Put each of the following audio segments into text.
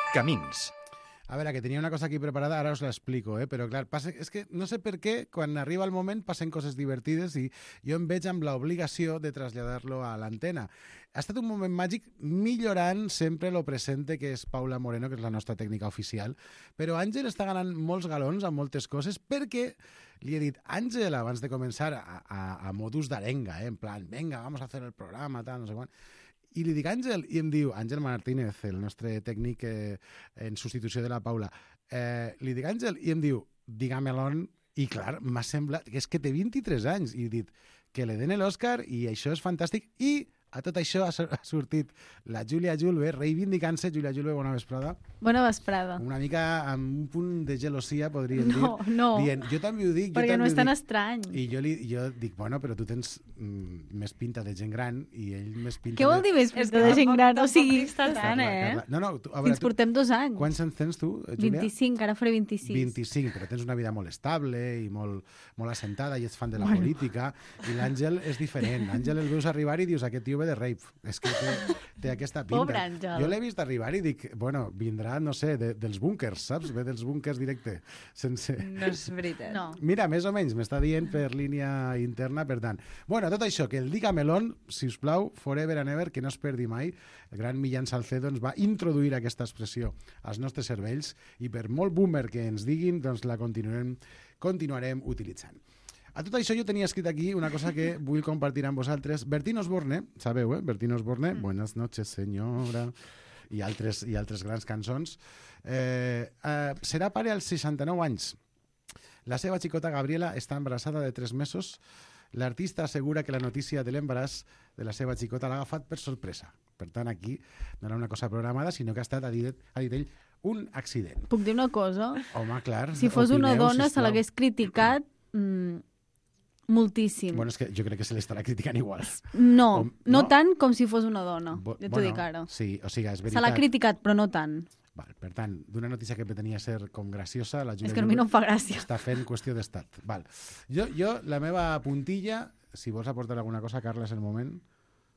Camins. A veure, que tenia una cosa aquí preparada, ara us l'explico, però clar, és que no sé per què, quan arriba el moment passen coses divertides i jo em veig amb l'obligació de traslladar-lo a l'antena. Ha estat un moment màgic millorant sempre lo presente, que és Paula Moreno, que és la nostra tècnica oficial, però Àngel està ganant molts galons amb moltes coses perquè li he dit, Àngel, abans de començar a modus d'arenga, en plan, venga, vamos a hacer el programa, tal, no sé quan. I li dic Àngel, i em diu, Àngel Martínez, el nostre tècnic en substitució de la Paula, li dic Àngel, i em diu, diga-me-l'on, i clar, m'ha semblat, que és que té 23 anys, i he dit, que le den l'Òscar, i això és fantàstic, i a tot això ha sortit la Júlia Julve, reivindicant-se. Júlia Julve, bona vesprada. Bona vesprada. Una mica amb un punt de gelosia, podríem dir. No, dient, jo també ho dic. perquè no és tan estrany. I jo dic, bueno, però tu tens més pinta de gent gran i ell més pinta Què vol dir més pinta de gent gran? O sigui, està tant, No, a veure, ens portem 2 anys. Quants anys tens tu, Júlia? 25, ara faré 26. 25, però tens una vida molt estable i molt assentada i ets fan de la política. I l'Àngel és diferent. L'Àngel el veus arribar i dius, aquest tio ve de rave. És que té aquesta pinta. Pobre Àngel. Jo l'he vist arribar i dic, bueno, vindrà, no sé, dels búnkers, saps? Ve dels búnkers directe. Sense... No és veritat. No. Mira, més o menys, m'està dient per línia interna, per tant. Bueno, tot això, que el Diga-me-l'on, si us plau, forever and ever, que no es perdi mai. El gran Millán Salcedo ens va introduir aquesta expressió als nostres cervells i per molt boomer que ens diguin, doncs la continuarem utilitzant. A tot això jo tenia escrit aquí una cosa que vull compartir amb vosaltres. Bertín Osborne, sabeu, Bertín Osborne, Buenas noches, senyora, i altres grans cançons. Serà pare als 69 anys. La seva xicota Gabriela està embarassada de 3 mesos. L'artista assegura que la notícia de l'embaràs de la seva xicota l'ha agafat per sorpresa. Per tant, aquí no era una cosa programada, sinó que ha estat, ha dit ell, un accident. Puc dir una cosa? Home, clar. Si fos una dona, sisplau. se l'hagués criticat moltíssim. Bueno, és que jo crec que se l'estarà criticant igual. No tant com si fos una dona. Ja t'ho dic ara. Sí, o sigui, és veritat. Se l'ha criticat, però no tant. Val, per tant, d'una notícia que pretenia ser com graciosa, la Júlia És que a mi no em fa gràcia. està fent qüestió d'estat. Val. Jo, la meva puntilla, si vols aportar alguna cosa, Carla, és el moment.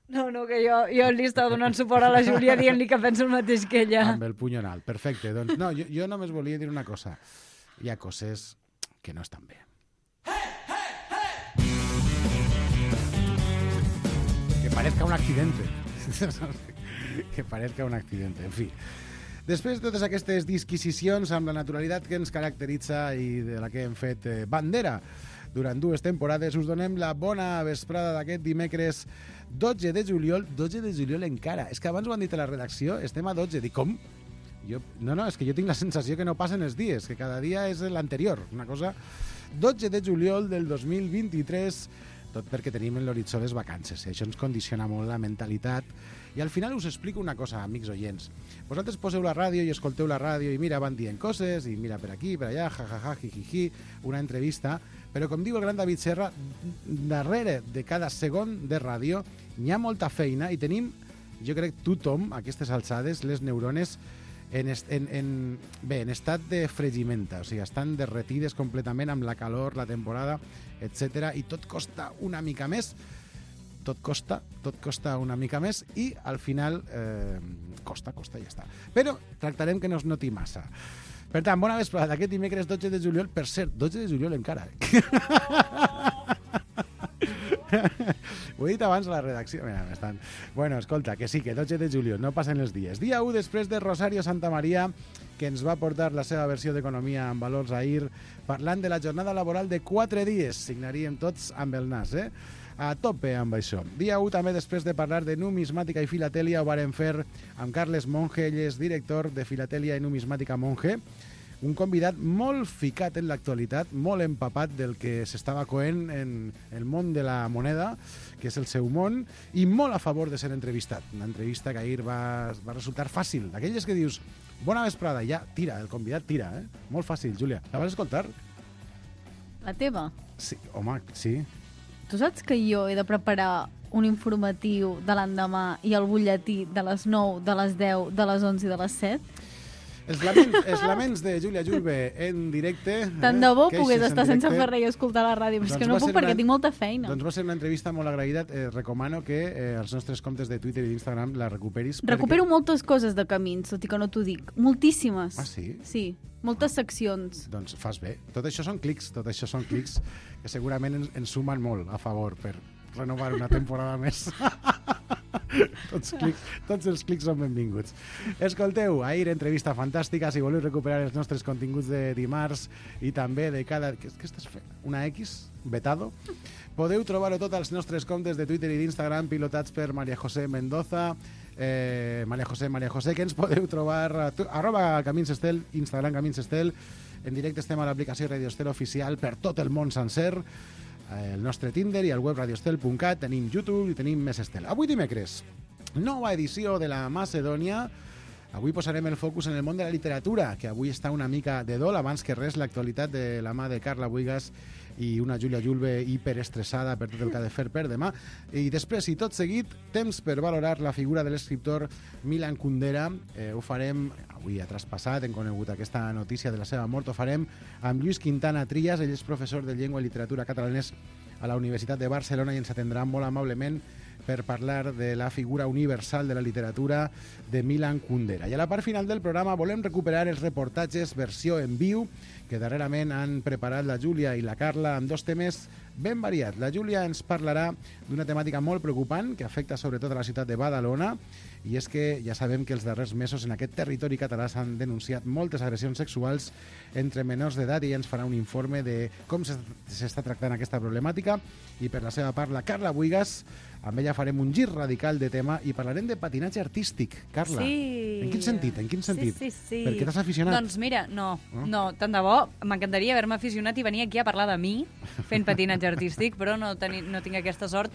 No, que jo li estava donant suport a la Júlia dient-li que penso el mateix que ella. Amb el puny en alt. Perfecte. Doncs, no, jo només volia dir una cosa. Hi ha coses que no estan bé. Que parezca un accidente. Que parezca un accidente. En fi. Després de totes aquestes disquisicions amb la naturalitat que ens caracteritza i de la que hem fet bandera durant 2 temporades, us donem la bona vesprada d'aquest dimecres 12 de juliol. 12 de juliol encara. És que abans ho han dit a la redacció, estem a 12. Dic, com? No, és que jo tinc la sensació que no passen els dies, que cada dia és l'anterior. Una cosa... 12 de juliol del 2023, tot perquè tenim en l'horitzó les vacances. Això ens condiciona molt la mentalitat. I al final us explico una cosa, amics oients. Vosaltres poseu la ràdio i escolteu la ràdio i mira, van dient coses, i mira per aquí, per allà, jajaja, jijiji, una entrevista, però com diu el gran David Serra, darrere de cada segon de ràdio hi ha molta feina i tenim, jo crec, tothom, a aquestes alçades, les neurones en estat de fregimenta, o sigui, estan derretides completament amb la calor, la temporada, etc. I tot costa una mica més, tot costa una mica més i al final costa, ja està. Però tractarem que no es noti massa. Per tant, bona vesprada d'aquest dimecres 12 de juliol, per cert, 12 de juliol encara. Ho he dit abans a la redacció. Mira, bueno, escolta, que sí, que 12 de juliol, no passen els dies. Dia 1 després de Rosario Santamaría, que ens va portar la seva versió d'Economia amb valors ahir, parlant de la jornada laboral de 4 dies. Signaríem tots amb el nas, A tope amb això. Dia 1 també després de parlar de numismàtica i filatèlia ho vàrem fer amb Carles Monge, ell és director de Filatèlia i Numismàtica Monge, un convidat molt ficat en l'actualitat, molt empapat del que s'estava coent en el món de la moneda, que és el seu món, i molt a favor de ser entrevistat. Una entrevista que ahir va resultar fàcil, d'aquelles que dius, bona vesprada, ja tira, el convidat tira, Molt fàcil, Júlia. La vas escoltar? La teva? Sí, home, sí. Tu saps que jo he de preparar un informatiu de l'endemà i el butlletí de les 9, de les 10, de les 11 i de les 7? Els laments de Júlia Julve en directe. Tant de bo queixes pogués en estar sense directe. fer res i escoltar la ràdio, però és Doncs que no va puc ser perquè tinc molta feina. Doncs va ser una entrevista molt agraïda. Recomano que els nostres comptes de Twitter i d'Instagram la recuperis. Recupero moltes coses de camins, tot i que no t'ho dic. Moltíssimes. Ah, sí? Sí, moltes seccions. Doncs fas bé. Tot això són clics que segurament ens sumen molt a favor per renovar una temporada més. Tots els clics són benvinguts. Escolteu, ahir entrevista fantàstica. Si voleu recuperar els nostres continguts de dimarts i també de cada... Què estàs fent? Una X? Vetado? Podeu trobar-ho tot als nostres comptes de Twitter i d'Instagram pilotats per María José Mendoza. María José, que ens podeu trobar @Caminsestel, Instagram Caminsestel. En directe estem a l'aplicació Radio Estel oficial per tot el món sencer, el nostre Tinder i el web radioestel.cat, tenim YouTube i tenim més Estel. Avui dimecres, nova edició de la Macedònia. Avui posarem el focus en el món de la literatura, que avui està una mica de dol, abans que res l'actualitat de la mà de Carla Buigas i una Júlia Julve hiperestressada per tot el que ha de fer per demà. I després, i tot seguit, temps per valorar la figura de l'escriptor Milan Kundera. Ho farem, avui ha traspassat, hem conegut aquesta notícia de la seva mort, ho farem amb Lluís Quintana Trias. Ell és professor de Llengua i Literatura Catalanes a la Universitat de Barcelona i ens atendrà molt amablement per parlar de la figura universal de la literatura de Milan Kundera. I a la part final del programa volem recuperar els reportatges versió en viu que darrerament han preparat la Júlia i la Carla amb dos temes ben variats. La Júlia ens parlarà d'una temàtica molt preocupant que afecta sobretot a la ciutat de Badalona, i és que ja sabem que els darrers mesos en aquest territori català s'han denunciat moltes agressions sexuals entre menors d'edat, i ella ens farà un informe de com s'està tractant aquesta problemàtica. I per la seva part, la Carla Buigas, amb ella farem un gir radical de tema i parlarem de patinatge artístic. Carla, sí. En quin sentit? Sí. Per què t'has aficionat? Doncs mira, no, tant de bo. M'encantaria haver-me aficionat i venir aquí a parlar de mi fent patinatge artístic, però no tinc aquesta sort.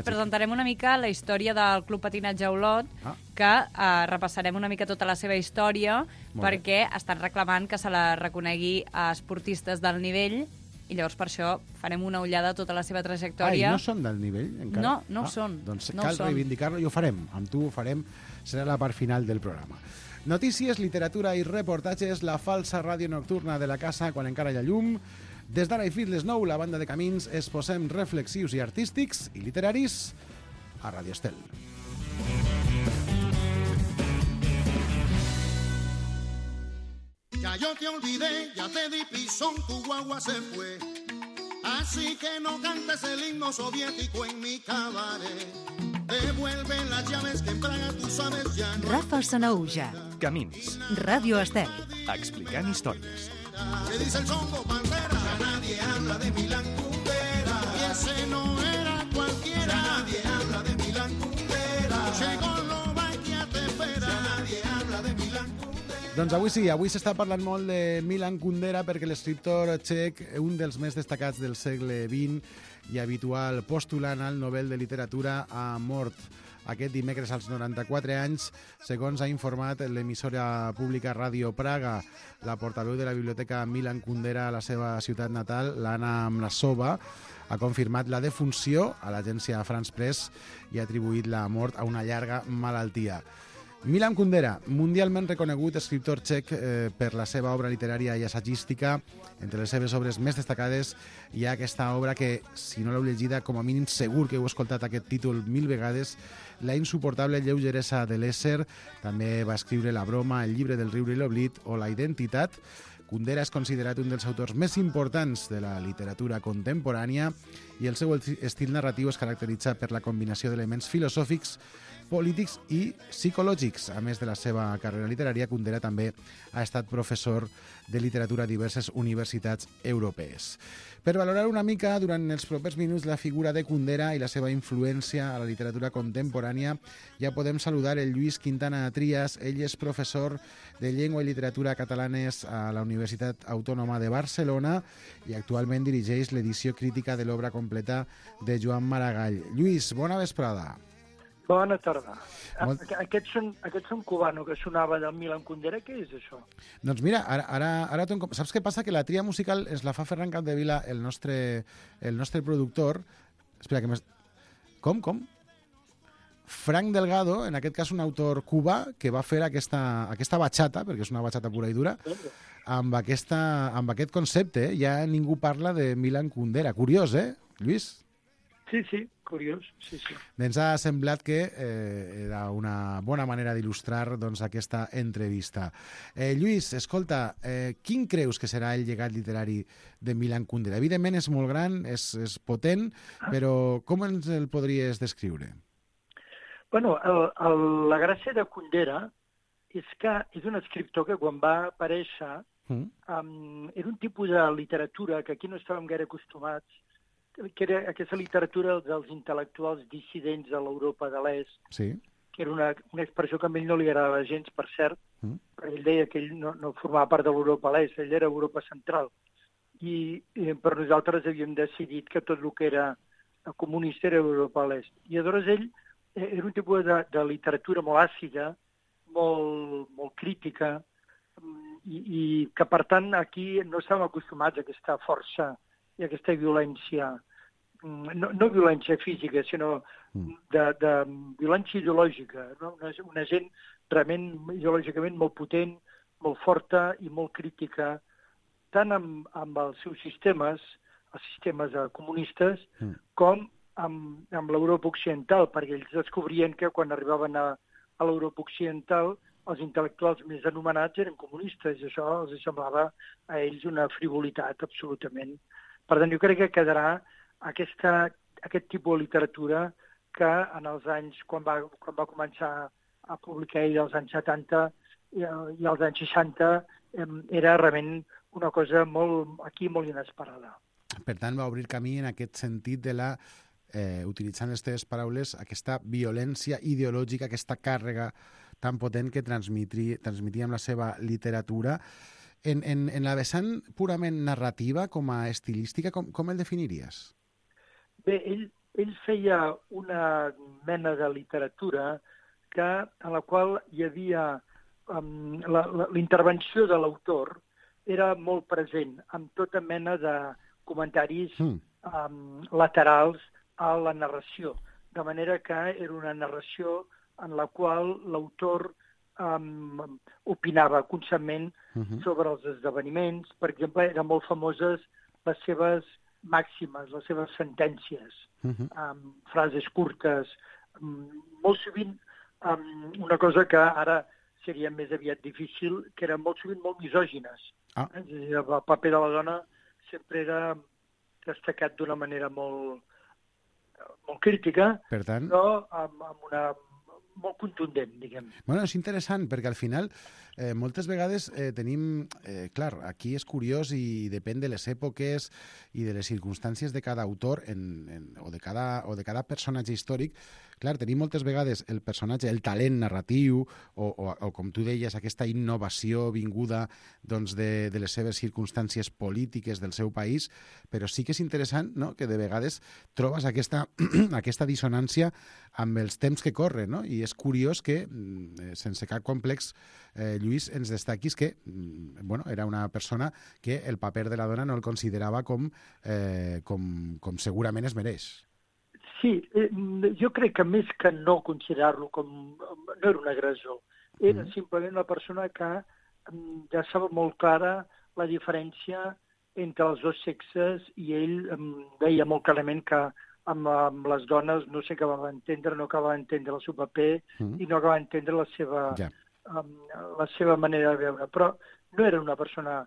Presentarem una mica la història del Club Patinatge Olot, que repassarem una mica tota la seva història, perquè estan reclamant que se la reconegui a esportistes del nivell, i llavors per això farem una ullada a tota la seva trajectòria. I no són del nivell encara? No ho són. Doncs cal reivindicar-lo i ho farem. Amb tu ho farem, serà la part final del programa. Notícies, literatura i reportatges, la falsa ràdio nocturna de la casa quan encara hi ha llum. Des d'ara i fins les 9, la banda de camins es posem reflexius i artístics i literaris a Radio Estel. Ya yo te olvidé, ya te di pisón, tu guagua se fue. Así que no cantes el himno soviético en mi cabaret. Devuelve las llaves que en Praga tú sabes ya no. Rafa Sanaúja. Camins. Ràdio Estel. Explicant històries. ¿Qué dice el songo Pantera? Ya nadie habla de Milan Kundera. Y ese no era cualquiera. Ya nadie habla de Milan Kundera. Checoslovaquia te espera. Ya nadie habla de Milan Kundera. Doncs avui s'està parlant molt de Milan Kundera perquè l'escriptor txec, un dels més destacats del segle XX i habitual postulant al Nobel de Literatura, ha mort aquest dimecres als 94 anys, segons ha informat l'emissora pública Ràdio Praga. La portaveu de la biblioteca Milan Kundera a la seva ciutat natal, l'Anna Mlasova, ha confirmat la defunció a l'agència France Press i ha atribuït la mort a una llarga malaltia. Milan Kundera, mundialment reconegut escriptor txec per la seva obra literària i assagística. Entre les seves obres més destacades hi ha aquesta obra que, si no l'heu llegida, com a mínim segur que heu escoltat aquest títol 1000 vegades, La insuportable lleugeresa de l'ésser. També va escriure La broma, El llibre del riure i l'oblit o La identitat. Kundera és considerat un dels autors més importants de la literatura contemporània i el seu estil narratiu es caracteritza per la combinació d'elements filosòfics, polítics i psicològics. A més de la seva carrera literària, Kundera també ha estat professor de literatura a diverses universitats europees. Per valorar una mica durant els propers minuts la figura de Kundera i la seva influència a la literatura contemporània, ja podem saludar el Lluís Quintana Trias. Ell és professor de Llengua i Literatura Catalanes a la Universitat Autònoma de Barcelona i actualment dirigeix l'edició crítica de l'obra completa de Joan Maragall. Lluís, bona vesprada. Bona tarda. Aquest son cubano que sonava del Milan Kundera, què és això? Doncs mira, ara saps què passa? Que la tria musical ens la fa Ferran Capdevila, el nostre productor. Espera, que Com? Frank Delgado, en aquest cas un autor cubà, que va fer aquesta bachata, perquè és una bachata pura i dura, amb aquest concepte. Ja ningú parla de Milan Kundera. Curiós, Lluís? Sí, curiós, sí. Ens ha semblat que era una bona manera d'il·lustrar aquesta entrevista. Lluís, escolta, quin creus que serà el llegat literari de Milan Kundera? Evidentment és molt gran, és potent, però com ens el podries descriure? Bueno, la gràcia de Kundera és que és un escriptor que quan va aparèixer era un tipus de literatura que aquí no estàvem gaire acostumats, que era aquesta literatura dels intel·lectuals dissidents de l'Europa de l'Est, sí, que era una expressió que a ell no li agradava gens, per cert, perquè ell deia que ell no formava part de l'Europa de l'Est, ell era Europa Central. I per nosaltres havíem decidit que tot el que era comunista era Europa de l'Est. I aleshores ell era un tipus de literatura molt àcida, molt crítica, i que, per tant, aquí no estàvem acostumats a aquesta força i aquesta violència, no violència física, sinó de violència ideològica, no? Una gent realment ideològicament molt potent, molt forta i molt crítica, tant amb els seus sistemes, els sistemes comunistes, com amb l'Europa occidental, perquè ells descobrien que quan arribaven a l'Europa occidental els intel·lectuals més anomenats eren comunistes, i això els semblava a ells una frivolitat, absolutament. Per tant, jo crec que quedarà aquest tipus de literatura que en els anys, quan va començar a publicar ell als anys 70 i als anys 60, era realment una cosa molt inesperada. Per tant, va obrir camí en aquest sentit de la, utilitzant les teves paraules, aquesta violència ideològica, aquesta càrrega tan potent que transmetia amb la seva literatura. En la vessant purament narrativa, com a estilística, com el definiries? Bé, ell feia una mena de literatura en la qual hi havia la intervenció de l'autor era molt present, amb tota mena de comentaris laterals a la narració, de manera que era una narració en la qual l'autor opinava constantment sobre els esdeveniments. Per exemple, eren molt famoses les seves màximes, les seves sentències, frases curtes, molt sovint una cosa que ara seria més aviat difícil, que eren molt sovint molt misògines. És a dir, el paper de la dona sempre era destacat d'una manera molt crítica, però amb una molt contundent, diguem. Bueno, és interessant, perquè al final moltes vegades tenim... Clar, aquí és curiós i depèn de les èpoques i de les circumstàncies de cada autor o de cada personatge històric. Clar, tenim moltes vegades el personatge, el talent narratiu o com tu deies, aquesta innovació vinguda de les seves circumstàncies polítiques del seu país, però sí que és interessant, no?, que de vegades trobes aquesta dissonància amb els temps que corren, no? I és curiós que, sense cap complex, Lluís, ens destaquis que era una persona que el paper de la dona no el considerava com segurament es mereix. Sí, jo crec que més que no considerar-lo com... no era un agressor, era simplement una persona que deixava molt clara la diferència entre els dos sexes i ell veia molt clarament que amb les dones no s'acabava d'entendre, no acabava d'entendre el seu paper i no acabava d'entendre la seva manera de veure. Però no era una persona...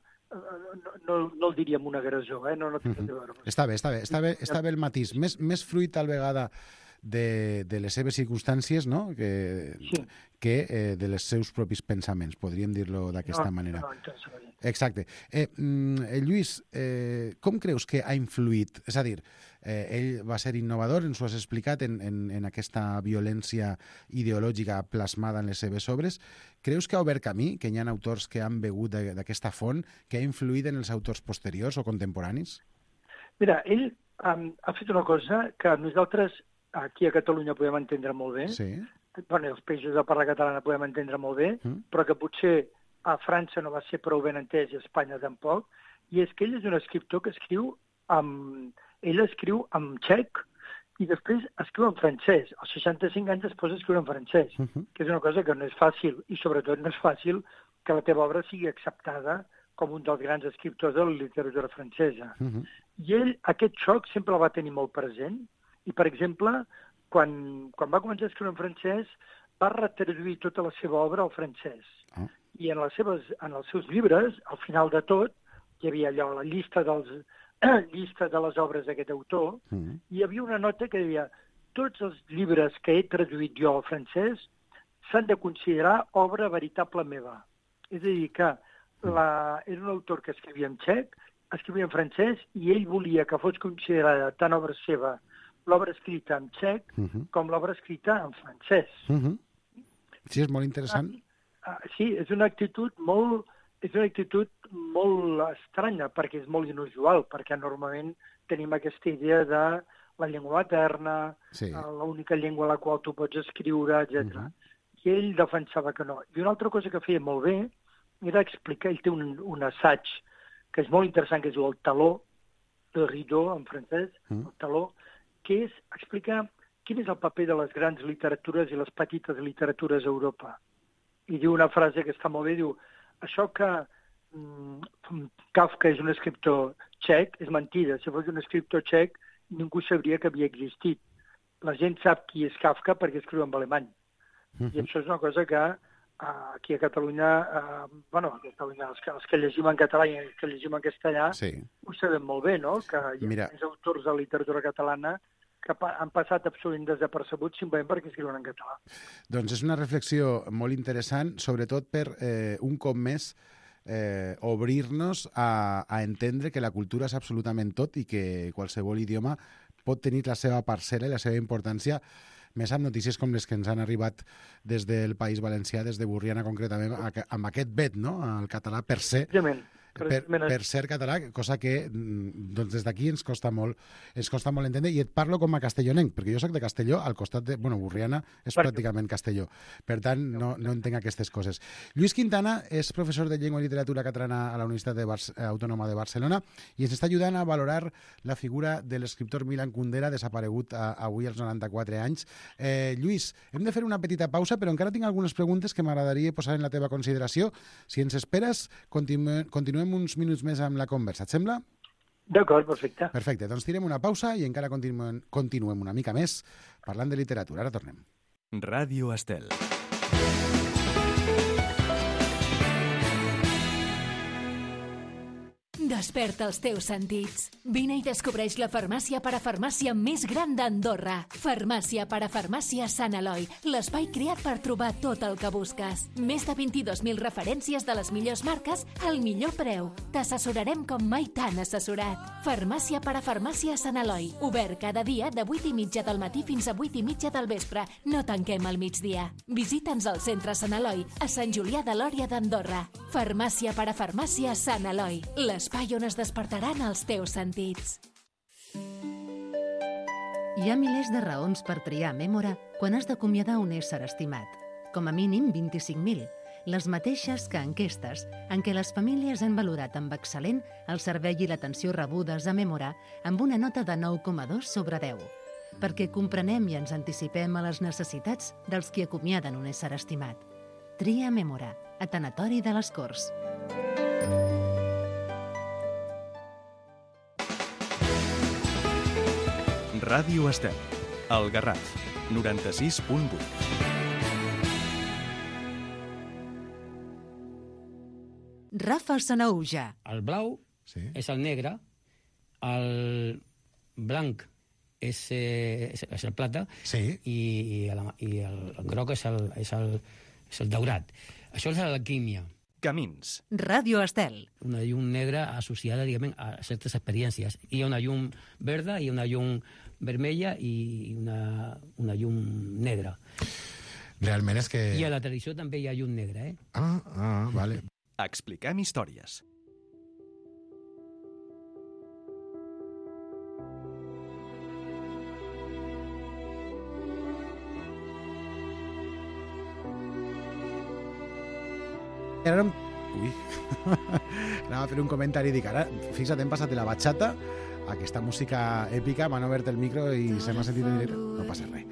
No el diríem un agressor, no té res a veure. Està bé el matís. Més fruit, tal vegada, de les seves circumstàncies, no?, que de les seus propis pensaments, podríem dir-lo d'aquesta manera. Exacte. Lluís, com creus que ha influït? És a dir, ell va ser innovador, ens ho has explicat, en aquesta violència ideològica plasmada en les seves obres. Creus que ha obert camí, que hi ha autors que han begut d'aquesta font, que ha influït en els autors posteriors o contemporanis? Mira, ell ha fet una cosa que nosaltres aquí a Catalunya podem entendre molt bé, els països de parla catalana podem entendre molt bé, però que potser a França no va ser prou ben entès i a Espanya tampoc, i és que ell és un escriptor que escriu en txec, i després escriu en francès. Als 65 anys es posa a escriure en francès, que és una cosa que no és fàcil, i sobretot no és fàcil que la teva obra sigui acceptada com un dels grans escriptors de la literatura francesa. I ell, aquest xoc, sempre el va tenir molt present, i, per exemple, quan va començar a escriure en francès, va retraduir tota la seva obra al francès. I en els seus llibres, al final de tot, hi havia allò, la llista de les obres d'aquest autor, i hi havia una nota que deia tots els llibres que he traduït jo al francès s'han de considerar obra veritable meva. És a dir, que era un autor que escrivia en txec, escrivia en francès, i ell volia que fos considerada tant obra seva l'obra escrita en txec com l'obra escrita en francès. Sí, és molt interessant. Sí, és una actitud molt estranya, perquè és molt inusual, perquè normalment tenim aquesta idea de la llengua materna, l'única llengua en la qual tu pots escriure, etc. I ell defensava que no. I una altra cosa que feia molt bé era explicar, ell té un assaig que és molt interessant, que es diu El taló, de Rideau, en francès, El taló, que és explicar quin és el paper de les grans literatures i les petites literatures a Europa. I diu una frase que està molt bé, diu, això que Kafka és un escriptor txec és mentida. Si fos un escriptor txec, ningú sabria que havia existit. La gent sap qui és Kafka perquè escriu en alemany. I això és una cosa que aquí a Catalunya, els que llegim en català i els que llegim en castellà, ho sabem molt bé, no? Que hi ha més autors de literatura catalana que han passat absolutament desapercebuts simplement perquè escriuen en català. Doncs és una reflexió molt interessant, sobretot per un cop més obrir-nos a entendre que la cultura és absolutament tot i que qualsevol idioma pot tenir la seva parcel·la i la seva importància, més amb notícies com les que ens han arribat des del País Valencià, des de Borriana concretament, amb aquest vet, no?, al català per ser... Per ser català, cosa que doncs des d'aquí ens costa molt entendre, i et parlo com a castellonenc, perquè jo soc de Castelló, al costat de... Borriana és pràcticament Castelló, per tant no entenc aquestes coses. Lluís Quintana és professor de Llengua i Literatura Catalana a la Universitat Autònoma de Barcelona i ens està ajudant a valorar la figura de l'escriptor Milan Kundera, desaparegut avui als 94 anys. Lluís, hem de fer una petita pausa, però encara tinc algunes preguntes que m'agradaria posar en la teva consideració. Si ens esperes, continuem uns minuts més amb la conversa, et sembla? D'acord, perfecte. Perfecte, doncs tirem una pausa i encara continuem una mica més parlant de literatura. Ara tornem. Ràdio Estel. Desperta els teus sentits. Vine i descobreix la farmàcia parafarmàcia més gran d'Andorra. Farmàcia parafarmàcia Sant Eloi, l'espai creat per trobar tot el que busques. Més de 22.000 referències de les millors marques al millor preu. T'assessorarem com mai t'han assessorat. Farmàcia parafarmàcia Sant Eloi, obert cada dia de 8:30 del matí fins a 8:30 del vespre. No tanquem al migdia. Visita'ns al centre Sant Eloi, a Sant Julià de Lòria d'Andorra. Farmàcia parafarmàcia Sant Eloi, l'espai on es despertaran els teus sentits. Hi ha milers de raons per triar Mémora quan has d'acomiadar un ésser estimat. Com a mínim 25.000, les mateixes que enquestes en què les famílies han valorat amb excel·lent el servei i l'atenció rebudes a Mémora amb una nota de 9,2 sobre 10, perquè comprenem i ens anticipem a les necessitats dels qui acomiaden un ésser estimat. Tria Mémora, a Tanatori de les Corts. Ràdio Estel, El Garraf, 96.8. Rafa Sanaüja. El blau és el negre, el blanc és el plata i el groc és el daurat. Això és l'alquímia. Camins. Ràdio Estel. Una llum negra associada, diguem, a certes experiències. Hi ha una llum verda, hi ha una llum vermella i una llum negra. Realment és que... I a la tradició també hi ha llum negra, eh? Vale. Expliquem històries. Anava a fer un comentari i dic, ara, fixa't, hem passat de la bachata aquesta música èpica. M'han obert el micro i se m'ha sentit en directe. No passa res.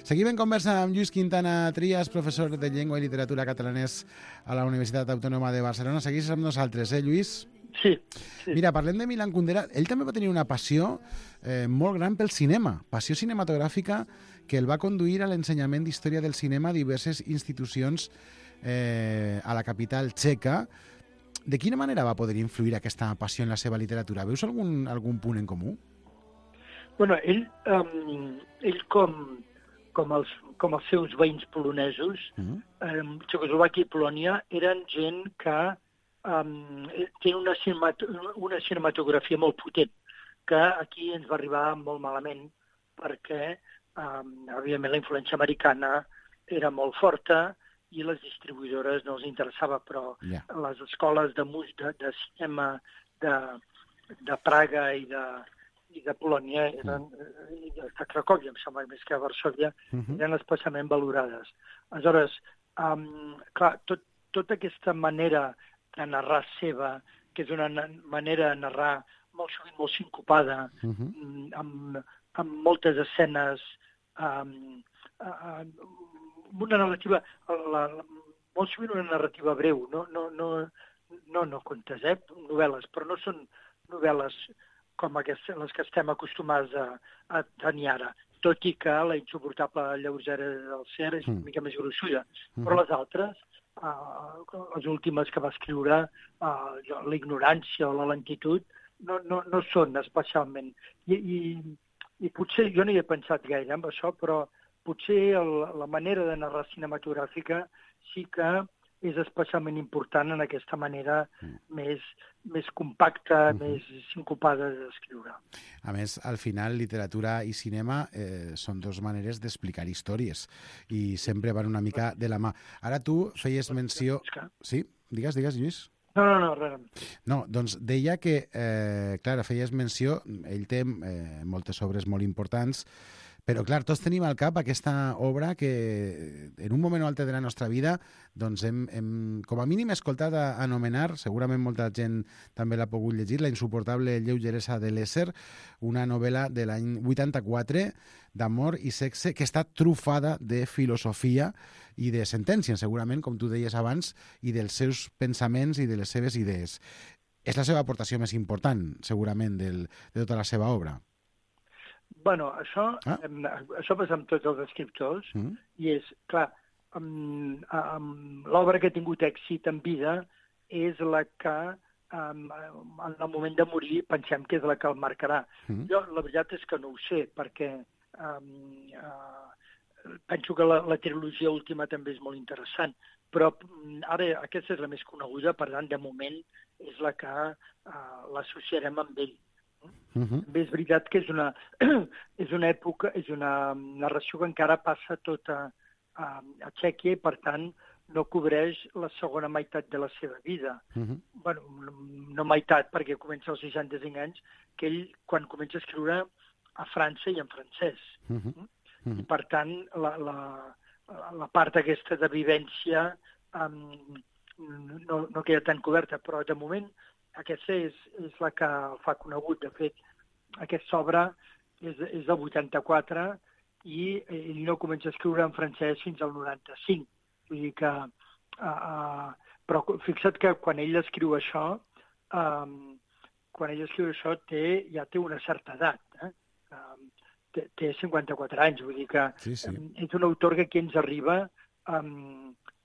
Seguim en conversa amb Lluís Quintana Trias, professor de Llengua i Literatura Catalanès a la Universitat Autònoma de Barcelona. Seguís amb nosaltres, Lluís? Sí. Mira, parlem de Milan Kundera. Ell també va tenir una passió molt gran pel cinema, passió cinematogràfica que el va conduir a l'ensenyament d'història del cinema a diverses institucions a la capital txeca. De quina manera va poder influir aquesta passió en la seva literatura? Veus algun punt en comú? Bueno, ell com els seus veïns polonesos, Txecoslovàquia i Polònia eren gent que té una cinematografia molt potent, que aquí ens va arribar molt malament, perquè, òbviament, la influència americana era molt forta i les distribuïdores no els interessava, però les escoles de cinema de Praga i de Polònia, i de Cracòvia, em sembla, més que a Varsòvia, eren especialment valorades. Aleshores, clar, tota aquesta manera de narrar seva, que és una manera de narrar molt sovint molt sincopada, amb moltes escenes, una narrativa, molt sovint una narrativa breu, no contes, novel·les, però no són novel·les com les que estem acostumats a tenir ara, tot i que la insuportable lleugera del Ser és una mica més gruixuda, però les altres, les últimes que va escriure, la ignorància o la lentitud, no són especialment. I potser, jo no hi he pensat gaire amb això, però potser la manera de narrar cinematogràfica sí que és especialment important en aquesta manera més compacta, més sincopada d'escriure. A més, al final, literatura i cinema són dues maneres d'explicar històries i sempre van una mica de la mà. Ara tu feies menció... Sí? Digues, Lluís. No, res. No, doncs deia que, clar, feies menció, ell té moltes obres molt importants, però, clar, tots tenim al cap aquesta obra que en un moment o altre de la nostra vida doncs hem com a mínim escoltat anomenar, segurament molta gent també l'ha pogut llegir, La insuportable lleugeresa de l'ésser, una novel·la de l'any 84 d'amor i sexe que està trufada de filosofia i de sentències, segurament, com tu deies abans, i dels seus pensaments i de les seves idees. És la seva aportació més important, segurament, de tota la seva obra. Bueno, això passa amb tots els escriptors i és, clar, l'obra que ha tingut èxit en vida és la que en el moment de morir pensem que és la que el marcarà. Jo la veritat és que no ho sé, perquè penso que la trilogia última també és molt interessant, però ara aquesta és la més coneguda, per tant, de moment és la que l'associarem amb ell. Bé, és veritat que és una època, és una narració que encara passa tota a Txèquia i, per tant, no cobreix la segona meitat de la seva vida. Bueno, no meitat, perquè comença als 65 anys, que ell, quan comença a escriure a França i en francès. I, per tant, la part aquesta de vivència no queda tan coberta, però de moment aquesta és la que el fa conegut. De fet, aquesta obra és del 84 i ell no comença a escriure en francès fins al 95. Vull dir que... però fixa't que quan ell escriu això, ja té una certa edat. Té 54 anys. Vull dir que és un autor que aquí ens arriba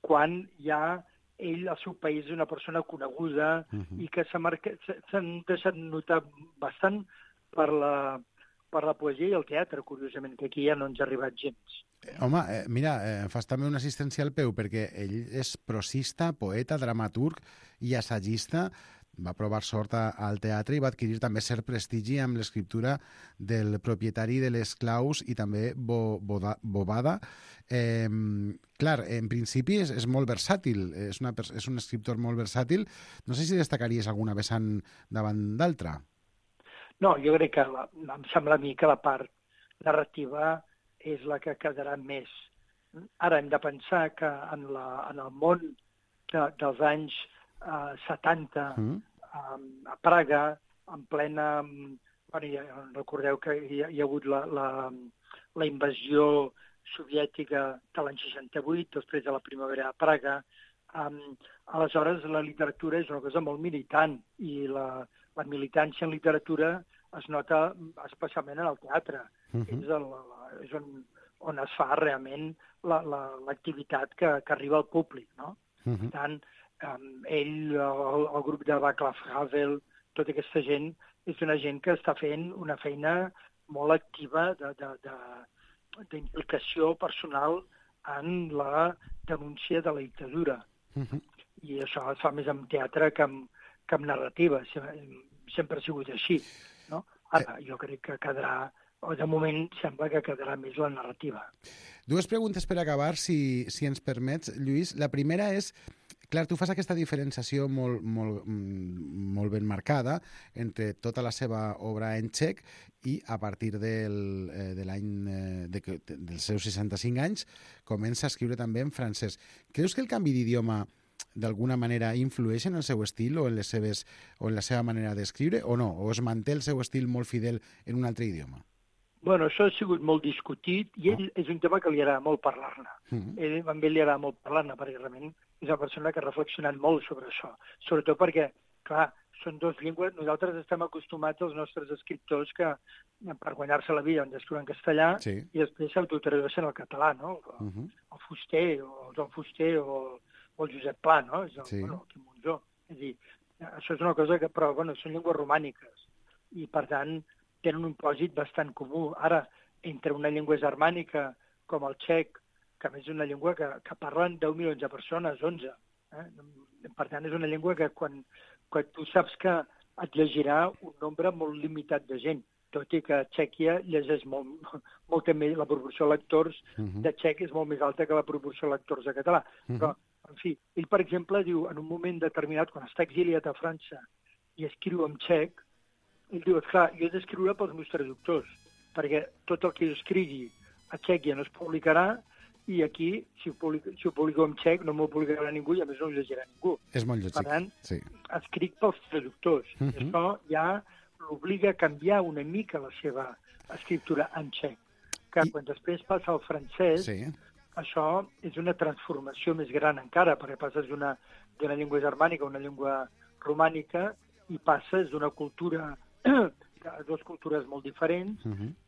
quan ja ell, al seu país, és una persona coneguda i que s'han deixat notar bastant per la poesia i el teatre, curiosament, que aquí ja no ens ha arribat gens. Home, mira, fas també una assistència al peu, perquè ell és prosista, poeta, dramaturg i assagista. Va provar sort al teatre i va adquirir també cert prestigi amb l'escriptura del propietari de les claus i també Bovada. Clar, en principi és molt versàtil, és un escriptor molt versàtil. No sé si destacaries alguna vessant davant d'altra. No, jo crec que em sembla a mi que la part narrativa és la que quedarà més. Ara hem de pensar que en el món dels anys 70, a Praga, en plena recordeu que hi ha hagut la invasió soviètica de l'any 68, després de la primavera a Praga. Aleshores, la literatura és una cosa molt militant, i la militància en literatura es nota especialment en el teatre. És on es fa realment l'activitat que arriba al públic, no? Per tant, ell, el grup de Václav Havel, tota aquesta gent, és una gent que està fent una feina molt activa d'implicació personal en la denúncia de la dictadura. I això es fa més en teatre que en narrativa. Sempre ha sigut així, no? Ara, jo crec que quedarà, o de moment sembla que quedarà més la narrativa. Dues preguntes per acabar, si ens permets, Lluís. La primera és, clar, tu fas aquesta diferenciació molt ben marcada entre tota la seva obra en txec i a partir dels seus 65 anys comença a escriure també en francès. Creus que el canvi d'idioma d'alguna manera influeix en el seu estil o en la seva manera d'escriure o no? O es manté el seu estil molt fidel en un altre idioma? Bueno, això ha sigut molt discutit i ell és un tema que li agrada molt parlar-ne. A ell li agrada molt parlar-ne perquè realment és una persona que ha reflexionat molt sobre això. Sobretot perquè, clar, són dues llengües. Nosaltres estem acostumats als nostres escriptors que per guanyar-se la vida han d'escriure en castellà i després s'autotradueixen al català, no? El Fuster, o el Joan Fuster, o el Josep Pla, no? El Quim Monzó. És a dir, això és una cosa que, però, bueno, són llengües romàniques i, per tant, tenen un pòsit bastant comú. Ara, entre una llengua germànica com el txec, que a més és una llengua que parlen 10 milions de persones, 11. Per tant, és una llengua que quan tu saps que et llegirà un nombre molt limitat de gent, tot i que a Txèquia llegeix molt més, la proporció de lectors de txec és molt més alta que la proporció de lectors de català. Però, en fi, ell, per exemple, diu, en un moment determinat, quan està exiliat a França i escriu en txec, ell diu, esclar, jo he d'escriure pels meus traductors, perquè tot el que jo escrigui a Txèquia no es publicarà, i aquí, si ho publico en txec, no m'ho publicarà ningú i a més no ho llegirà ningú. És molt lògic. Per tant, escric pels traductors. I això ja l'obliga a canviar una mica la seva escriptura en txec. Que quan després passa al francès, això és una transformació més gran encara, perquè passes d'una llengua germànica a una llengua romànica i passes d'una cultura dues cultures molt diferents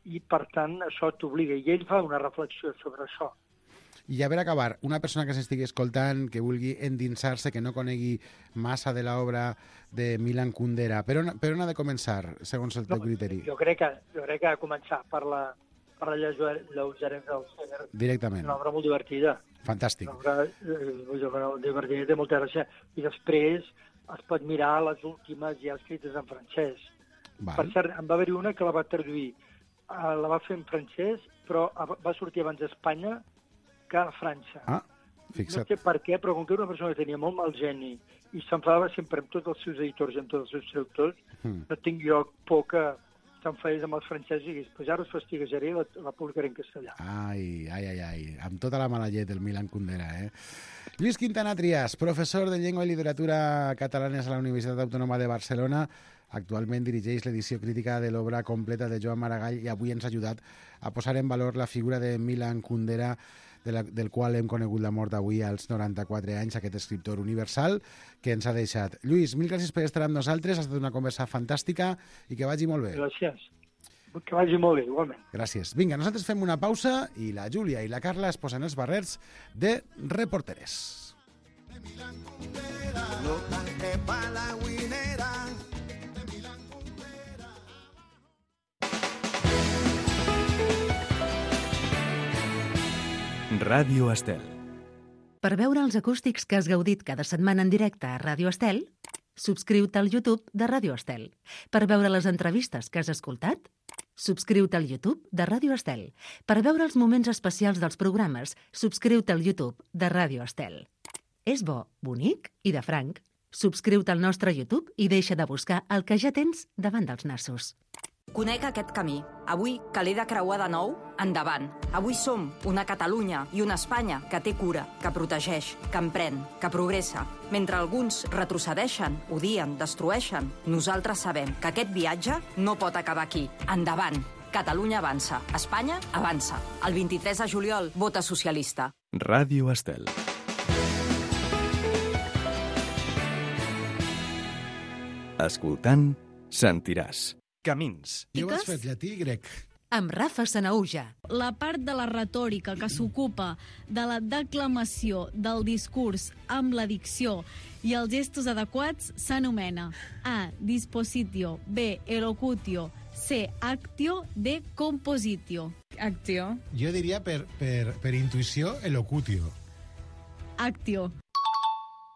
i, per tant, això t'obliga. I ell fa una reflexió sobre això. I a veure, acabar, una persona que s'estigui escoltant, que vulgui endinsar-se, que no conegui massa de l'obra de Milan Kundera, per on ha de començar, segons el teu criteri? Jo crec que ha de començar per la lleugeresa del Seger. Directament. És una obra molt divertida. Fantàstic. Una obra divertida, té molta gràcia. I després es pot mirar les últimes ja escrites en francès. Per cert, en va haver-hi una que la va traduir. La va fer en francès, però va sortir abans a Espanya que a França. Fixa't. No sé per què, però com que era una persona que tenia molt mal geni i s'enfadava sempre amb tots els seus editors i amb tots els seus traductors, no tinc jo por que s'enfadés amb els francesos i digués, pues ara us fastiguejaré i la publicaré en castellà. Ai, amb tota la mala llet del Milan Kundera, Lluís Quintana Trias, professor de Llengua i Literatura Catalanes a la Universitat Autònoma de Barcelona, actualment dirigeix l'edició crítica de l'obra completa de Joan Maragall i avui ens ha ajudat a posar en valor la figura de Milan Kundera, del qual hem conegut la mort avui als 94 anys, aquest escriptor universal que ens ha deixat. Lluís, mil gràcies per estar amb nosaltres, ha estat una conversa fantàstica i que vagi molt bé. Gràcies. Que vagi molt bé, igualment. Gràcies. Vinga, nosaltres fem una pausa i la Júlia i la Carla es posen els barrets de reporteres. Ràdio Estel. Per veure els acústics que has gaudit cada setmana en directe a Ràdio Estel, subscriu-te al YouTube de Ràdio Estel. Per veure les entrevistes que has escoltat, subscriu-te al YouTube de Ràdio Estel. Per veure els moments especials dels programes, subscriu-te al YouTube de Ràdio Estel. És bo, bonic i de franc. Subscriu-te al nostre YouTube i deixa de buscar el que ja tens davant dels nassos. conec aquest camí. Avui, que l'he de creuar de nou, endavant. Avui som una Catalunya i una Espanya que té cura, que protegeix, que emprèn, que progressa. Mentre alguns retrocedeixen, odien, destrueixen, nosaltres sabem que aquest viatge no pot acabar aquí. Endavant. Catalunya avança. Espanya avança. El 23 de juliol, vota socialista. Ràdio Estel. Escoltant, sentiràs. Camins. Jo ho has fet llatí i grec. Amb Rafa Sanauja. La part de la retòrica que s'ocupa de la declamació del discurs amb la dicció i els gestos adequats s'anomena A. Dispositio, B. Elocutio, C. Actio, D. Compositio. Actio. Jo diria per intuïció, elocutio. Actio.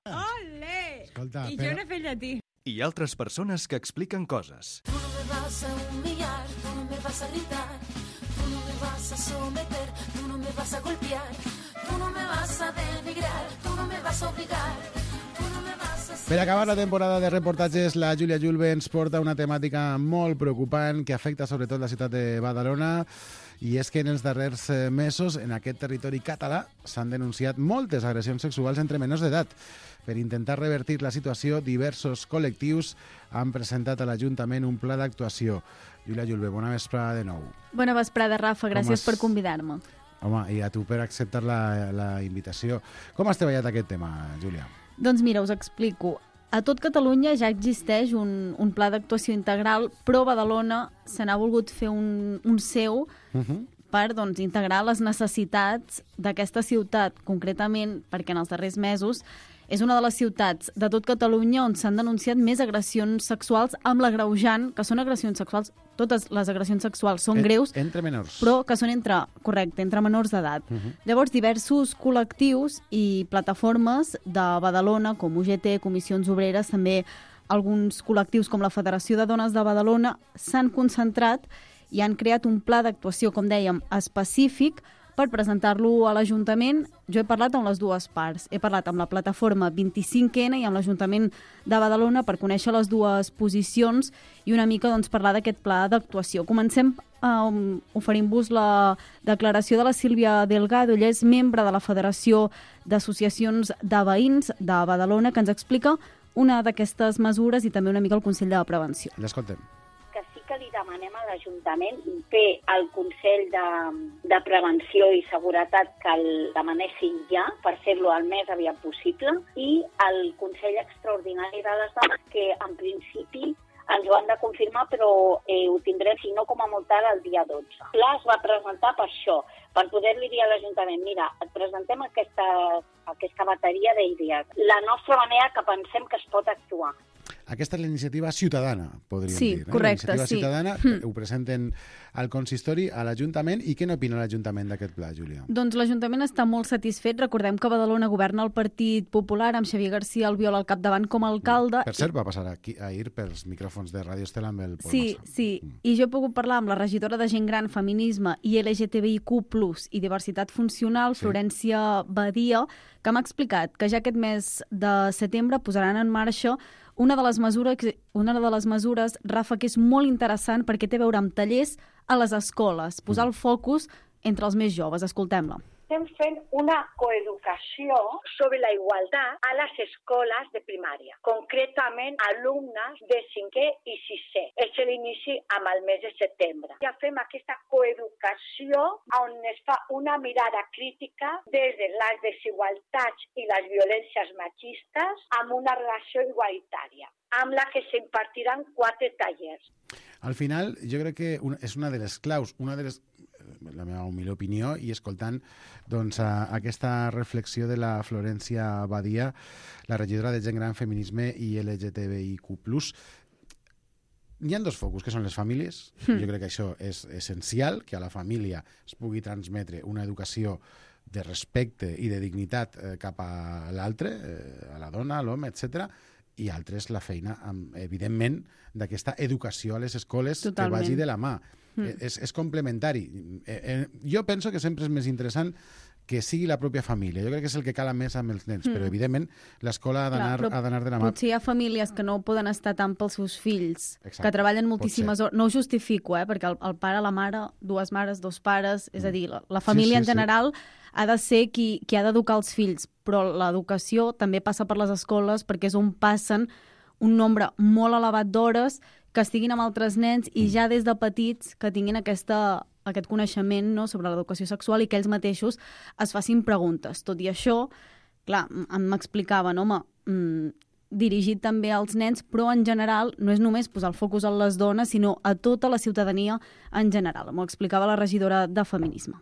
Olé! Escolta, I jo no he fet llatí. I altres persones que expliquen coses. Tú no me vas a humillar, tú no me vas a gritar, tú no me vas a someter, tú no me vas a golpear, tú no me vas a denigrar, tú no me vas a obligar, tú no me vas a... Per acabar la temporada de reportatges, la Júlia Julve ens porta una temàtica molt preocupant que afecta sobretot la ciutat de Badalona, i és que en els darrers mesos en aquest territori català s'han denunciat moltes agressions sexuals entre menors d'edat. Per intentar revertir la situació, diversos col·lectius han presentat a l'Ajuntament un pla d'actuació. Júlia Julve, bona vesprada de nou. Bona vesprada, Rafa. Gràcies per convidar-me. Home, i a tu per acceptar la invitació. Com has treballat aquest tema, Júlia? Doncs mira, us explico. A tot Catalunya ja existeix un pla d'actuació integral, però a Badalona se n'ha volgut fer un seu per integrar les necessitats d'aquesta ciutat, concretament perquè en els darrers mesos és una de les ciutats de tot Catalunya on s'han denunciat més agressions sexuals amb l'agreujant, que són agressions sexuals, totes les agressions sexuals són greus, entre menors, però que són entre menors d'edat. Llavors, diversos col·lectius i plataformes de Badalona, com UGT, Comissions Obreres, també alguns col·lectius com la Federació de Dones de Badalona, s'han concentrat i han creat un pla d'actuació, com dèiem, específic per presentar-lo a l'Ajuntament. Jo he parlat amb les dues parts. He parlat amb la plataforma 25N i amb l'Ajuntament de Badalona per conèixer les dues posicions i una mica parlar d'aquest pla d'actuació. Comencem oferint-vos la declaració de la Sílvia Delgado. Ella és membre de la Federació d'Associacions de Veïns de Badalona, que ens explica una d'aquestes mesures i també una mica el Consell de Prevenció. L'escoltem. Que li demanem a l'Ajuntament fer el Consell de Prevenció i Seguretat que el demanessin ja per fer-lo el més aviat possible i el Consell Extraordinari de les Dones que en principi ens ho han de confirmar però ho tindrem si no com a molt tard el dia 12. El pla es va presentar per això, per poder-li dir a l'Ajuntament mira, et presentem aquesta bateria d'idees, la nostra manera que pensem que es pot actuar. Aquesta és la iniciativa ciutadana, podríem dir. Sí, correcte, la iniciativa ciutadana, ho presenten al consistori, a l'Ajuntament. I què n'opina l'Ajuntament d'aquest pla, Júlia? Doncs l'Ajuntament està molt satisfet. Recordem que a Badalona governa el Partit Popular, amb Xavier García Albiol al capdavant com a alcalde. Per cert, va passar ahir pels micròfons de Ràdio Estel amb el Pol Massa. Sí. I jo he pogut parlar amb la regidora de Gent Gran, Feminisme i LGTBIQ+, i Diversitat Funcional, Florència Badia, que m'ha explicat que ja aquest mes de setembre posaran en marxa una de les mesures, Rafa, que és molt interessant perquè té a veure amb tallers a les escoles, posar el focus entre els més joves. Escoltem-la. Estem fent una coeducació sobre la igualtat a les escoles de primària, concretament alumnes de 5è i 6è. És l'inici amb el mes de setembre. Ja fem aquesta coeducació on es fa una mirada crítica des de les desigualtats i les violències machistes amb una relació igualitària, amb la que s'impartiran 4 tallers. Al final, jo crec que és una de les claus, la meva humil opinió, i escoltant aquesta reflexió de la Florència Badia, la regidora de Gent Gran, Feminisme i LGTBIQ+. Hi ha 2 focus, que són les famílies. Jo crec que això és essencial, que a la família es pugui transmetre una educació de respecte i de dignitat cap a l'altre, a la dona, a l'home, etc. I altres la feina, evidentment, d'aquesta educació a les escoles. Totalment. Que vagi de la mà. És complementari. Jo penso que sempre és més interessant que sigui la pròpia família. Jo crec que és el que cala més amb els nens, però evidentment l'escola ha d'anar de la mà. Potser hi ha famílies que no poden estar tant pels seus fills, que treballen moltíssimes hores. No ho justifico, perquè el pare, la mare, dues mares, dos pares, és a dir, la família en general ha de ser qui ha d'educar els fills, però l'educació també passa per les escoles perquè és on passen un nombre molt elevat d'hores, que estiguin amb altres nens i ja des de petits que tinguin aquest coneixement, no, sobre l'educació sexual i que ells mateixos es facin preguntes. Tot i això, clar, m'explicaven, home, dirigit també als nens, però en general no és només posar el focus en les dones, sinó a tota la ciutadania en general. M'ho explicava la regidora de Feminisme.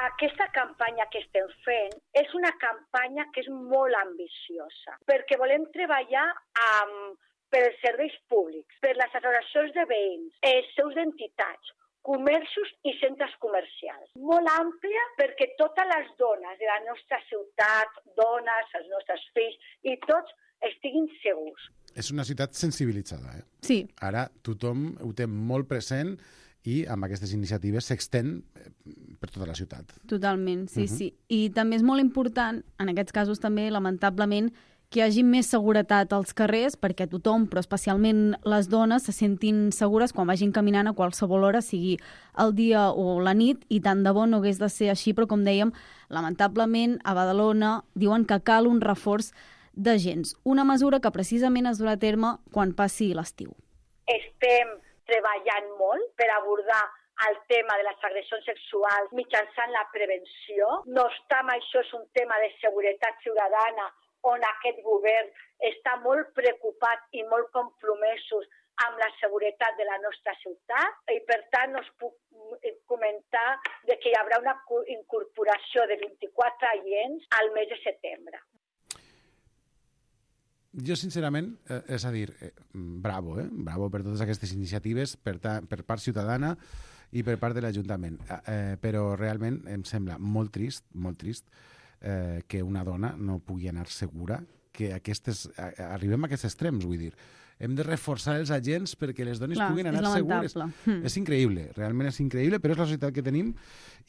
Aquesta campanya que estem fent és una campanya que és molt ambiciosa, perquè volem treballar per els serveis públics, per les associacions de veïns, els seus entitats, comerços i centres comercials. Molt àmplia perquè totes les dones de la nostra ciutat, dones, els nostres fills i tots estiguin segurs. És una ciutat sensibilitzada, Sí. Ara tothom ho té molt present i amb aquestes iniciatives s'extén per tota la ciutat. Totalment, sí, sí. I també és molt important, en aquests casos també, lamentablement, que hi hagi més seguretat als carrers perquè tothom, però especialment les dones, se sentin segures quan vagin caminant a qualsevol hora, sigui el dia o la nit, i tant de bo no hagués de ser així, però com dèiem, lamentablement a Badalona diuen que cal un reforç d'agents. Una mesura que precisament es durà a terme quan passi l'estiu. Estem treballant molt per abordar el tema de les agressions sexuals mitjançant la prevenció. No obstant, això és un tema de seguretat ciutadana on aquest govern està molt preocupat i molt compromesos amb la seguretat de la nostra ciutat i, per tant, us puc comentar que hi haurà una incorporació de 24 agents al mes de setembre. Jo, sincerament, és a dir, bravo, bravo per totes aquestes iniciatives per part ciutadana i per part de l'Ajuntament. Però realment em sembla molt trist que una dona no pugui anar segura, que arribem a aquests extrems, vull dir. Hem de reforçar els agents perquè les dones puguin anar segures. És increïble, realment és increïble, però és la societat que tenim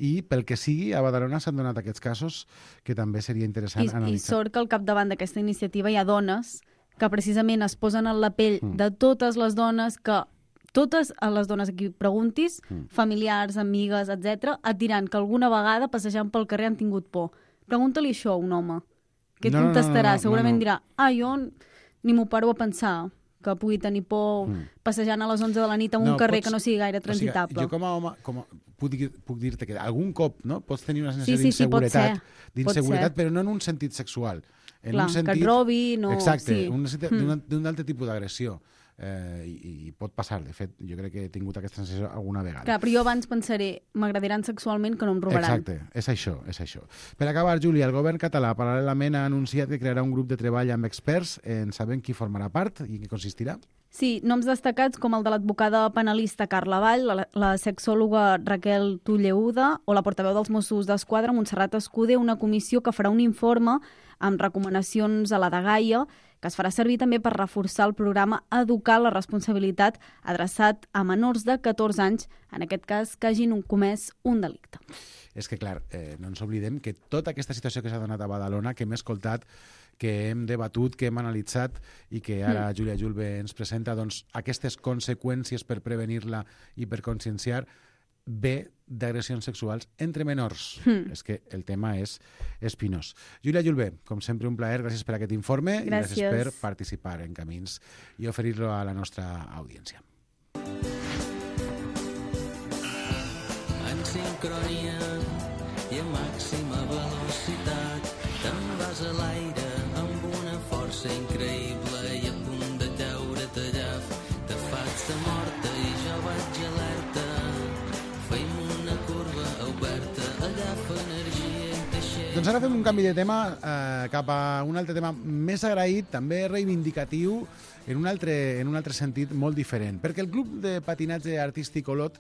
i pel que sigui, a Badalona s'han donat aquests casos que també seria interessant analitzar. I sort que al capdavant d'aquesta iniciativa hi ha dones que precisament es posen en la pell de totes les dones que totes les dones a qui preguntis, familiars, amigues, etc., et diran que alguna vegada passejant pel carrer han tingut por. Pregunta-li això a un home. Què et contestarà? Segurament dirà, jo ni m'ho paro a pensar que pugui tenir por passejant a les 11 de la nit en un carrer que no sigui gaire transitable. Jo com a home puc dir-te que algun cop pots tenir una sensació d'inseguretat, però no en un sentit sexual. Clar, que et robi... Exacte, d'un altre tipus d'agressió. I pot passar, de fet, jo crec que he tingut aquesta sensació alguna vegada. Clar, però jo abans pensaré, m'agradaran sexualment que no em robaran. Exacte, és això. Per acabar, Júlia, el govern català paral·lelament ha anunciat que crearà un grup de treball amb experts. En sabem qui formarà part i en què consistirà? Sí, noms destacats com el de l'advocada penalista Carla Vall, la sexòloga Raquel Tulleuda o la portaveu dels Mossos d'Esquadra, Montserrat Escudé, una comissió que farà un informe amb recomanacions a la dgaia, que es farà servir també per reforçar el programa Educar la Responsabilitat adreçat a menors de 14 anys, en aquest cas que hagin comès un delicte. És que, clar, no ens oblidem que tota aquesta situació que s'ha donat a Badalona, que hem escoltat, que hem debatut, que hem analitzat i que ara Júlia Julve ens presenta, doncs aquestes conseqüències per prevenir-la i per conscienciar, ve d'agressions sexuals entre menors. És que el tema és espinós. Júlia Julve, com sempre un plaer, gràcies per aquest informe i gràcies per participar en Camins i oferir-lo a la nostra audiència. En sincronia i a màxima velocitat te'n vas a l'aire amb una força increïble i a punt de caure-te allà te faig de morta i jo vaig alerta. Feim una curva oberta, agafa energia i deixem... Doncs ara fem un canvi de tema cap a un altre tema més agraït, també reivindicatiu, en un altre sentit molt diferent. Perquè el Club de Patinatge Artístic Olot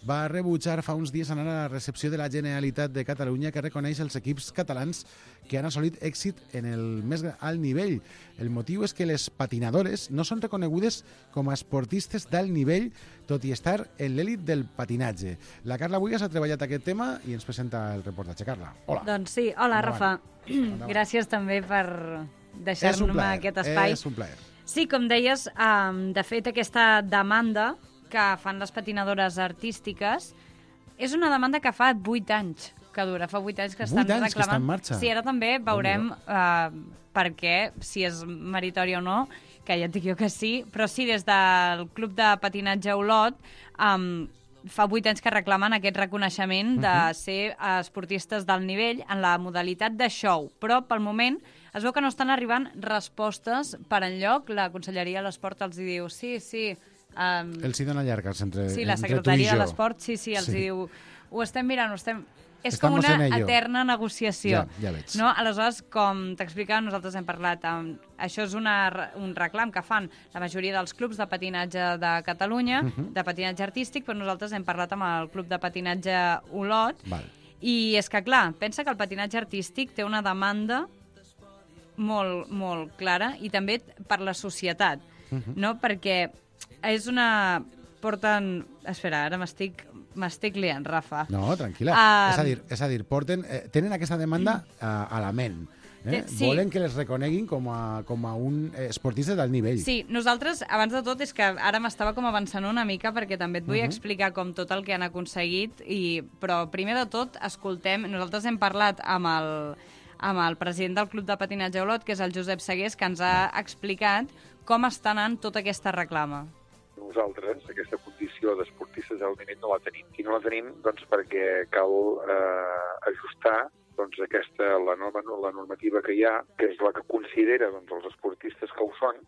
va rebutjar fa uns dies anar a la recepció de la Generalitat de Catalunya que reconeix els equips catalans que han assolit èxit en el més alt nivell. El motiu és que les patinadores no són reconegudes com a esportistes d'alt nivell, tot i estar en l'èlit del patinatge. La Carla Buigas ha treballat aquest tema i ens presenta el reportatge. Carla, hola. Doncs sí, hola, Rafa. Gràcies també per deixar-me aquest espai. És un plaer. Sí, com deies, de fet, aquesta demanda que fan les patinadores artístiques és una demanda que fa 8 anys que dura. Fa 8 anys que estan reclamant. 8 anys que està en marxa. Sí, ara també veurem per què, si és meritori o no, que ja et dic jo que sí, però sí, des del Club de Patinatge Olot fa 8 anys que reclamen aquest reconeixement de ser esportistes d'alt nivell en la modalitat de show, però pel moment es veu que no estan arribant respostes per enlloc. La Conselleria de l'Esport els diu sí. Els hi dona llargues entre tu i jo. Sí, la Secretaria de l'Esport, sí, els diu ho estem mirant, És com una eterna negociació. Ja veig. No? Aleshores, com t'explicava, nosaltres hem parlat això és un reclam que fan la majoria dels clubs de patinatge de Catalunya, de patinatge artístic, però nosaltres hem parlat amb el Club de Patinatge Olot, i és que, clar, pensa que el patinatge artístic té una demanda molt, molt clara, i també per la societat, no? Perquè és una... Espera, ara m'estic liant, Rafa. No, tranquil·la. És a dir, tenen aquesta demanda a la ment. Sí. Volen que les reconeguin com a un esportista d'alt nivell. Sí, nosaltres, abans de tot, és que ara m'estava com avançant una mica perquè també et vull explicar com tot el que han aconseguit, però primer de tot, escoltem, nosaltres hem parlat amb el president del Club de Patinatge Olot, que és el Josep Segués, que ens ha explicat com està anant tota aquesta reclama. Nosaltres, aquesta condició d'esportistes d'alt nivell no la tenim. I no la tenim doncs, perquè cal ajustar doncs, la normativa que hi ha, que és la que considera doncs, els esportistes que ho són,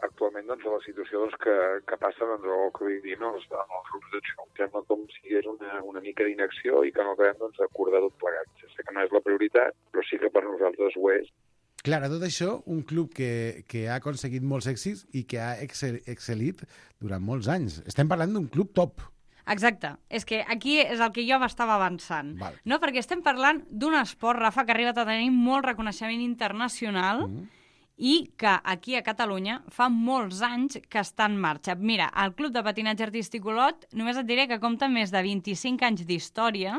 actualment doncs, a la situació doncs, que passa doncs, el que vull dir, no, els grups de show. Sembla com si és una mica d'inacció i que no acabem doncs, d'acordar tot plegat. Ja sé que no és la prioritat, però sí que per nosaltres ho és. Clar, a tot això, un club que ha aconseguit molts èxits i que ha excel·lit durant molts anys. Estem parlant d'un club top. Exacte. És que aquí és el que jo m'estava avançant. No? Perquè estem parlant d'un esport, Rafa, que ha arribat a tenir molt reconeixement internacional i que aquí a Catalunya fa molts anys que està en marxa. Mira, el Club de Patinatge Artístic Olot, només et diré que compta més de 25 anys d'història,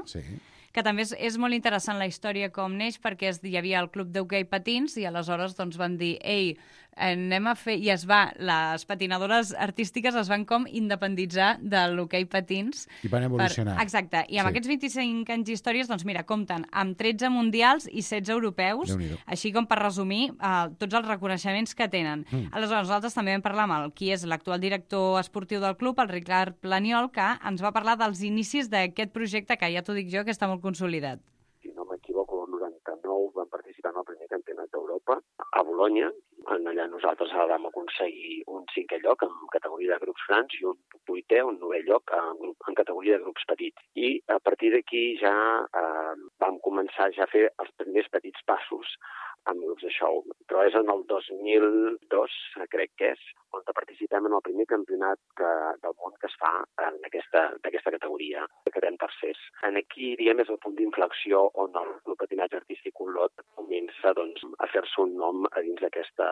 que també és molt interessant la història com neix, perquè hi havia el Club d'Hoquei Patins i aleshores doncs, van dir, ei, anem a fer... I les patinadores artístiques es van com independitzar de l'hoquei patins. I van evolucionar. Exacte. I amb aquests 25 anys d'històries, doncs mira, compten amb 13 mundials i 16 europeus, així com per resumir tots els reconeixements que tenen. Aleshores, nosaltres també vam parlar amb qui és l'actual director esportiu del club, el Ricard Planiol, que ens va parlar dels inicis d'aquest projecte que ja t'ho dic jo, que està molt consolidat. Si no m'equivoco, el 99 van participar en el primer campionat d'Europa a Bolonya. Allà nosaltres vam aconseguir un 5è lloc en categoria de grups grans i un 8è, un 9è lloc en categoria de grups petits. I a partir d'aquí ja vam començar a fer els primers petits passos amb grups de show. Però és en el 2002, crec que és, on participem en el primer campionat del món que es fa d'aquesta categoria, que quedem tercers. Aquí, diguem, és el punt d'inflexió on el patinatge artístic Olot comença doncs, a fer-se un nom a dins d'aquesta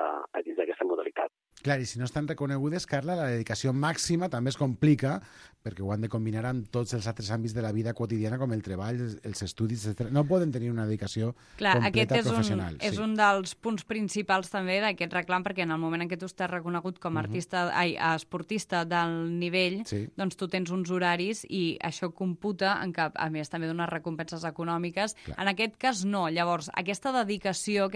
modalitat. Clar, i si no estan reconegudes, Carla, la dedicació màxima també es complica perquè ho han de combinar amb tots els altres àmbits de la vida quotidiana, com el treball, els estudis, etc. No poden tenir una dedicació completa professional. És un dels punts principals també d'aquest reclam, perquè en el moment en què tu estàs reconegut com a esportista del nivell, doncs tu tens uns horaris i això computa en que, a més, també dones recompenses econòmiques. En aquest cas, no. Llavors, aquesta dedicació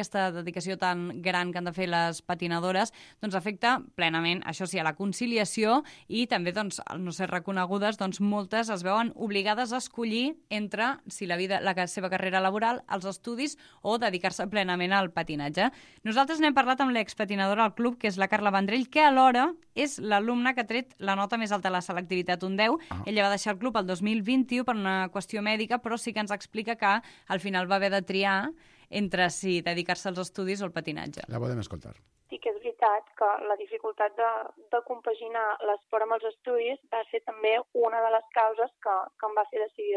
tan gran que han de fer les patinadores, doncs afecta plenament, això sí, a la conciliació i també, doncs, al no ser reconegudes, doncs moltes es veuen obligades a escollir entre si la seva carrera laboral, els estudis o dedicar-se plenament al patinatge. Nosaltres n'hem parlat amb l'expatinadora al club, que és la Carla Vendrell, que alhora és l'alumne que ha tret la nota més alta a la selectivitat, un 10. Ella va deixar el club el 2021 per una qüestió mèdica, però sí que ens explica que al final va haver de triar entre si dedicar-se als estudis o al patinatge. La podem escoltar. Sí que és veritat veritat que la dificultat de compaginar l'esport amb els estudis va ser també una de les causes que em va fer decidir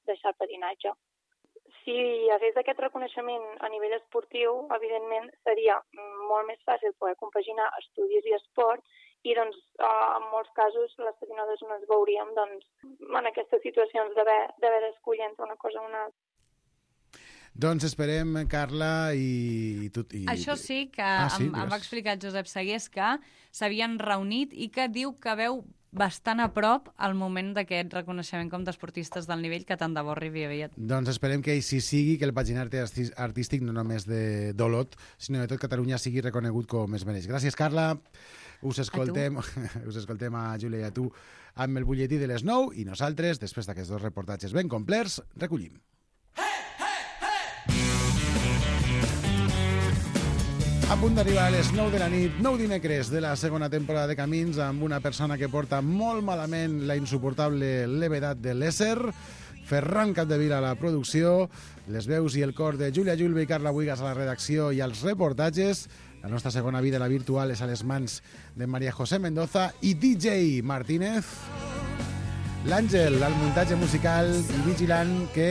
deixar el patinatge. Si hi hagués aquest reconeixement a nivell esportiu, evidentment seria molt més fàcil poder compaginar estudis i esport i doncs, en molts casos les patinadores no ens veuríem en aquestes situacions d'haver d'escollir entre una cosa o una altra. Doncs esperem, Carla, i tu... Això sí, que em va explicar Josep Segués que s'havien reunit i que diu que veu bastant a prop al moment d'aquest reconeixement com d'esportistes del nivell que tant de bo arribi aviat. Doncs esperem que així sigui, que el patinatge artístic no només d'Olot, sinó de tot Catalunya sigui reconegut com es mereix. Gràcies, Carla. Us escoltem a Júlia i a tu amb el butlletí de les 9 i nosaltres, després d'aquests dos reportatges ben complerts, recollim. A punt d'arribar a les 9 de la nit, 9 dimecres de la segona temporada de Camins, amb una persona que porta molt malament la insuportable levedat de l'ésser, Ferran Capdevila a la producció, les veus i el cor de Júlia Julve i Carla Buigas a la redacció i als reportatges. La nostra segona vida, la virtual, és a les mans de María José Mendoza i DJ Martínez. L'Àngel, al muntatge musical i vigilant que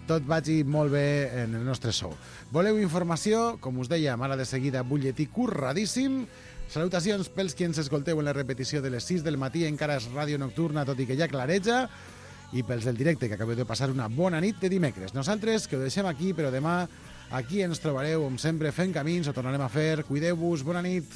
tot vagi molt bé en el nostre show. Voleu informació? Com us dèiem, ara de seguida, butlletí curradíssim. Salutacions pels qui ens escolteu en la repetició de les 6 del matí, encara és ràdio nocturna, tot i que ja clareja, i pels del directe, que acabeu de passar una bona nit de dimecres. Nosaltres, que ho deixem aquí, però demà aquí ens trobareu, com sempre, fent camins, ho tornarem a fer. Cuideu-vos, bona nit.